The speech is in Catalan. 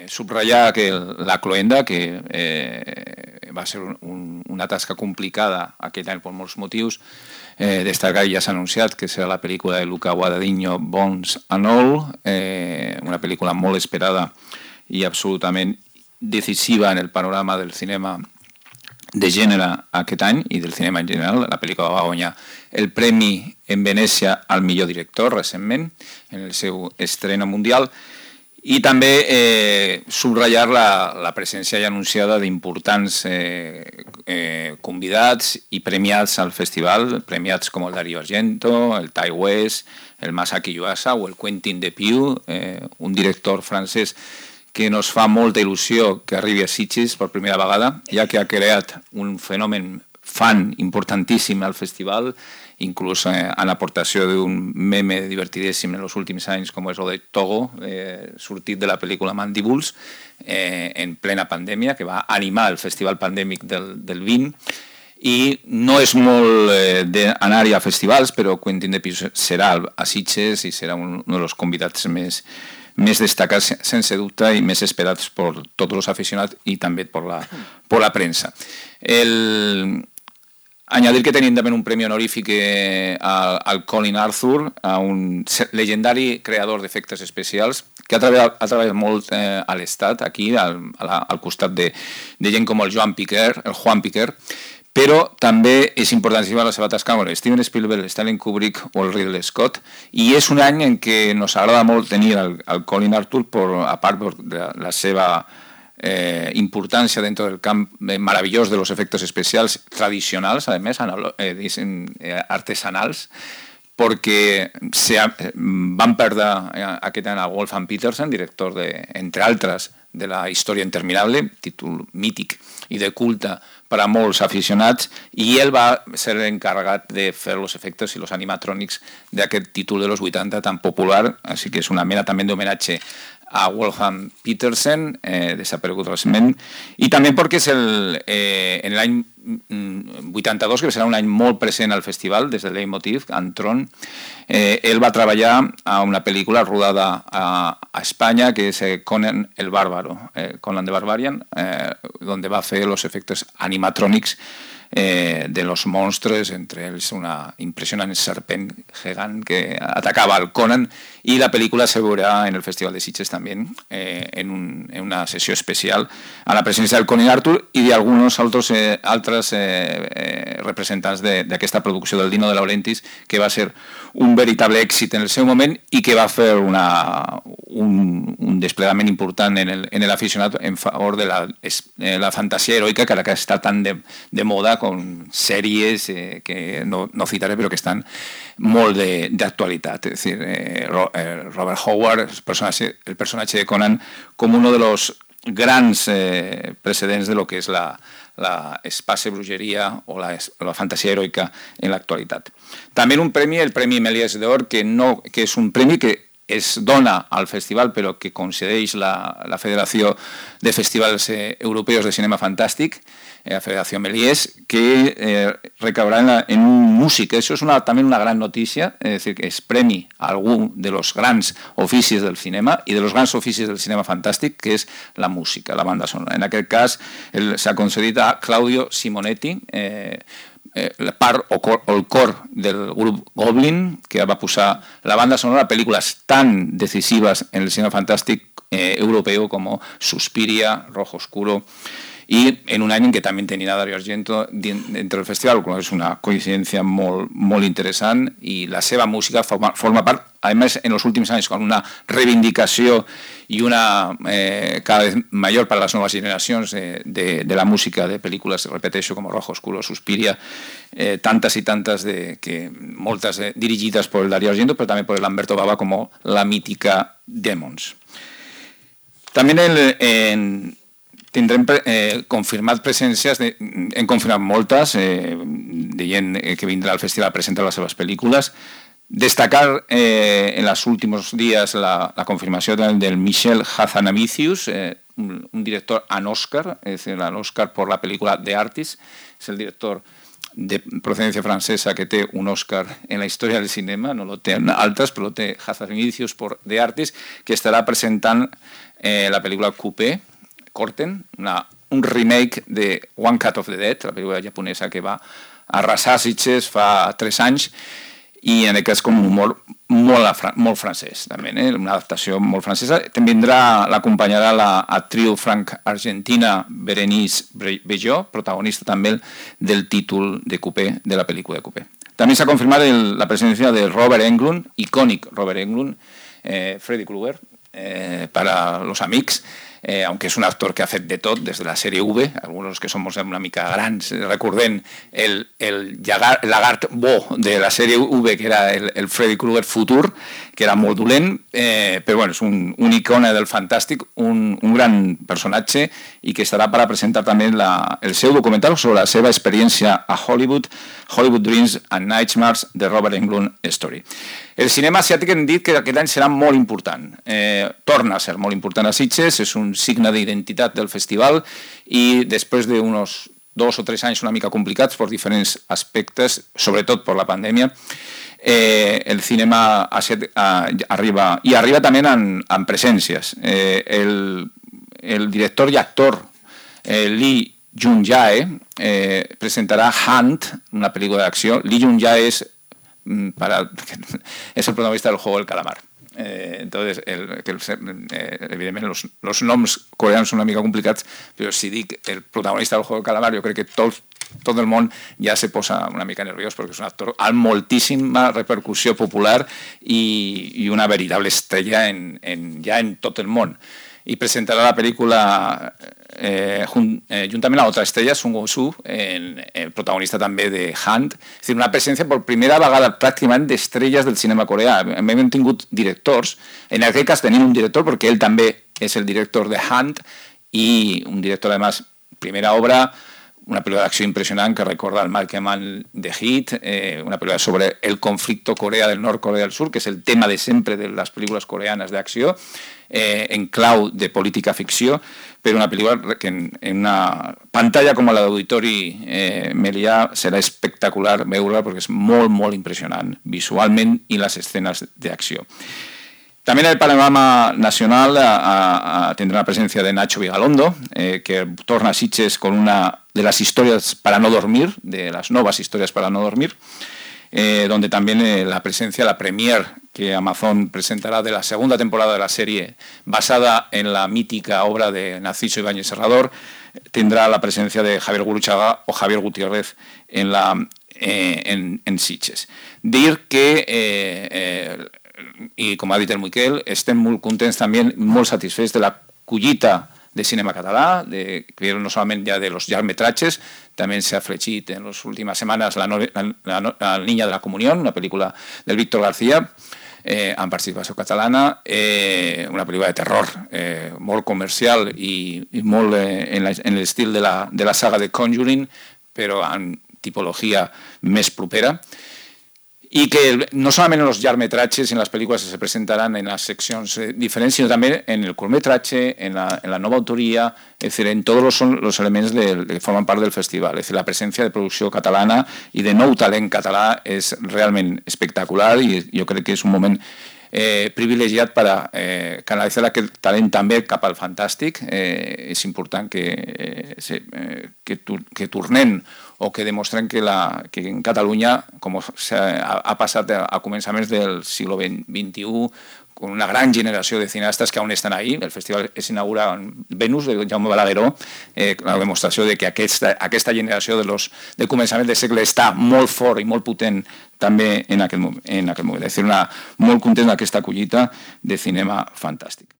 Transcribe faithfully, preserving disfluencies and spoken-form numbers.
subratllar que la cloenda, que eh, va ser un, una tasca complicada aquest any per molts motius, eh, destacar, ja s'ha anunciat, que serà la pel·lícula de Luca Guadagnino, Bones and All, eh, una pel·lícula molt esperada i absolutament decisiva en el panorama del cinema de gènere aquest any i del cinema en general. La pel·lícula va guanyar el premi en Venècia al millor director recentment, en el seu estrena mundial, i també eh, subratllar la, la presència ja anunciada d'importants eh, eh, convidats i premiats al festival, premiats com el Dario Argento, el Ti West, el Masaki Yuasa o el Quentin Dupieux, eh, un director francès que nos fa molta il·lusió que arribi a Sitges per primera vegada, ja que ha creat un fenomen fan importantíssim al festival, inclús eh, en aportació d'un meme divertidíssim en els últims anys, com és el de Togo, eh, sortit de la pel·lícula Mandibules, eh, en plena pandèmia, que va animar el festival pandèmic del, del vint, i no és molt eh, d'anar-hi a festivals, però Quentin Dupieux serà a Sitges i serà un, un dels convidats més, més destacats, sense dubte, i més esperats per tots els aficionats i també per la, per la premsa. El... Añadir que tenim també un premi honorífic al, al Colin Arthur, a un legendari creador d'efectes especials, que ha treballat, ha treballat molt eh, a l'Estat, aquí, al, al costat de, de gent com el Joan Piquer, el Juan Piquer, però també és importantíssima la seva tasca amb Steven Spielberg, Stanley Kubrick o el Ridley Scott, i és un any en què nos agrada molt tenir el, el Colin Arthur, per, a part de la seva Eh, importancia dentro del camp eh, maravillós de los efectos especials tradicionals, además, eh, dicen, eh, artesanals, perquè se ha, van perdre eh, aquest any a Wolfgang Petersen, director, de, entre altres, de la Història interminable, títol mític i de culte per a molts aficionats, i ell va ser encarregat de fer els efectes i els animatrònics d'aquest títol de los vuitanta tan popular, així que és una mena també d'homenatge a Wolfgang Petersen, eh, desaparegut recentment, i també perquè és el, eh, en l'any vuitanta-dos, que serà un any molt present al festival, des del Leitmotiv, Antron, eh, ell va treballar a una pel·lícula rodada a, a Espanya, que és eh, Conan el Bárbaro, eh, Conan the Barbarian, eh, donde va fer els efectes animatrònics Eh, de los monstruos, entre ells una impressionant serpent gegant que atacava al Conan, i la pel·lícula se veurà en el Festival de Sitges també, eh, en, un, en una sessió especial a la presència del Colin Arthur i d'alguns altres, eh, altres eh, eh, representants d'aquesta producció del Dino de Laurentiis, que va ser un veritable èxit en el seu moment i que va fer una, un, un desplegament important en l'aficionat en favor de la, eh, la fantasia heroica, que ara que està tan de, de moda, con sèries eh, que no, no citaré, però que estan molt d'actualitat. És a dir, eh, Robert Howard, el personatge, el personatge de Conan, com un dels grans eh, precedents de lo que és la, la espace brujeria o la, la fantasia heroica en l'actualitat. També un premi, el Premi Méliès d'Or, que, no, que és un premi que es dona al festival, però que concedeix la, la Federació de Festivals eh, Europeus de Cinema Fantàstic, la Federació Méliès, que eh, recaurà en, la, en un músic. Això és una, també una gran notícia, és dir, que es premi a algun de los grans oficis del cinema i de los grans oficis del cinema fantàstic, que és la música, la banda sonora. En aquest cas s'ha concedit a Claudio Simonetti, eh, eh, la part o, cor, o el cor del grup Goblin, que va posar la banda sonora a pel·lícules tan decisives en el cinema fantàstic eh, europeu com Suspiria, Rojo Oscuro, i en un any en què també tenia Dario Argento dintre del festival, és una coincidència molt, molt interessant, i la seva música forma, forma part, a més, en els últims anys, con una reivindicació i una eh, cada vez mayor para las nuevas generacions de, de, de la música de pel·lícules, repeteixo, com Rojo Oscuro, Suspiria, eh, tantes i tantes, de, que, moltes eh, dirigides per Dario Argento, però també per Lamberto Bava, com la mítica Demons. També en... en tindrem eh, confirmat presències, de, hem confirmat moltes, eh, de gent que vindrà al festival a presentar les seves pel·lícules. Destacar eh, en els últims dies la, la confirmació del Michel Hazanavicius, eh, un, un director an Oscar, és a dir, an Oscar per la pel·lícula The Artist, és el director de procedència francesa que té un Oscar en la història del cinema, no lo té altres, però lo té Hazard Indicios de Artis, que estarà presentant eh, la pel·lícula Coupé, Corten, una, un remake de One Cut of the Dead, la pel·lícula japonesa que va arrasar Sitges fa tres anys, i en aquest cas com un humor molt, molt francès, també, eh? Una adaptació molt francesa. També vindrà, l'acompanyarà l'actriu franc-argentina Berenice Bejo, protagonista també del títol de Coupé, de la pel·lícula de Coupé. També s'ha confirmat el, la presència de Robert Englund, icònic Robert Englund, eh, Freddy Krueger, eh, para los amics, Eh, aunque es un actor que ha fet de tot, des de la sèrie V, alguns que som una mica grans, recordem el, el lagart bo de la sèrie V, que era el, el Freddy Krueger futur, que era molt dolent, eh, però bueno, és un, un icona del fantàstic, un, un gran personatge, i que estarà per a presentar també la, el seu documental sobre la seva experiència a Hollywood, Hollywood Dreams and Nightmares, de Robert Englund Story. El cinema asiàtic hem dit que aquest any serà molt important. Eh, torna a ser molt important a Sitges, és un signe d'identitat del festival i després d'uns dos o tres anys una mica complicats per diferents aspectes, sobretot per la pandèmia, eh, el cinema asiàtic eh, arriba, i arriba també en, en presències. Eh, el, el director i actor eh, Lee Jung-jae eh, presentarà Hunt, una pel·lícula d'acció. Lee Jung-jae és Para, es el protagonista del juego del calamar. Eh, entonces, el, el, eh, evidentment, los, los noms coreans són una mica complicats, però si dic el protagonista del juego del calamar, jo crec que tot, tot el món ja se posa una mica nerviós, perquè és un actor amb moltíssima repercussió popular i, i una veritable estrella en, en, ja en tot el món. I presentarà la pel·lícula eh, jun, eh, juntament a l'altra estrella, Sung Woo-soo, el protagonista també de Hunt. És dir, una presència per primera vegada pràcticament d'estrelles del cinema coreà. Hem tingut directors, en aquest cas tenim un director perquè ell també és el director de Hunt i un director, además, primera obra, una pel·lícula d'acció impressionant que recorda el Malcolm de Heat, eh, una pel·lícula sobre el conflicte Corea del Nord, Corea del Sur, que és el tema de sempre de les pel·lícules coreanes d'acció, eh, en clau de política ficció, però una pel·lícula que en, en una pantalla com la d'Auditori eh, Melià serà espectacular veure-la perquè és molt, molt impressionant visualment i les escenes d'acció. També en el panorama nacional a, a, tendrá la presencia de Nacho Vigalondo, eh, que torna a Sitges con una de las historias para no dormir, de las nuevas historias para no dormir, eh, donde también eh, la presencia, la premier que Amazon presentará de la segunda temporada de la serie, basada en la mítica obra de Narciso Ibáñez Serrador, tendrá la presencia de Javier Gurruchaga o Javier Gutiérrez en, la, eh, en, en Sitges. Dir que... Eh, eh, i com ha dit el Miquel, estem molt contents també, molt satisfets de la collita de cinema català, de, que no solament ja de los llargmetratges, també s'ha afegit en les últimes setmanes la, la, la, la Niña de la Comunión, una pel·lícula del Víctor García, eh, amb participació catalana, eh, una pel·lícula de terror eh, molt comercial i, i molt eh, en, la, en l'estil de la, de la saga de Conjuring, però en tipologia més propera. Y que no solamente en los llargmetratges y en las películas se presentarán en las secciones eh, diferentes, sino también en el curtmetratge, en la, en la nova autoria, es decir, en todos los, los elementos de, que forman part del festival. Es decir, la presencia de producció catalana i de nou talent català és realment espectacular i jo crec que és un moment eh, privilegiat per a eh, canalitzar aquest talent també cap al fantàstic. Eh, és important que, eh, se, eh, que, tur que tornem o que demostren que, la, que en Catalunya, com ha, ha passat a, a començaments del segle vint-i-u, con una gran generació de cineastes que aún estan ahí. El festival es inaugura en Venus, de Jaume Balagueró, eh, la demostració de que aquesta, aquesta generació de, los, de començaments de segle està molt fort i molt potent també en aquell, en aquell moment. És a dir, una, molt content d'aquesta collita de cinema fantàstic.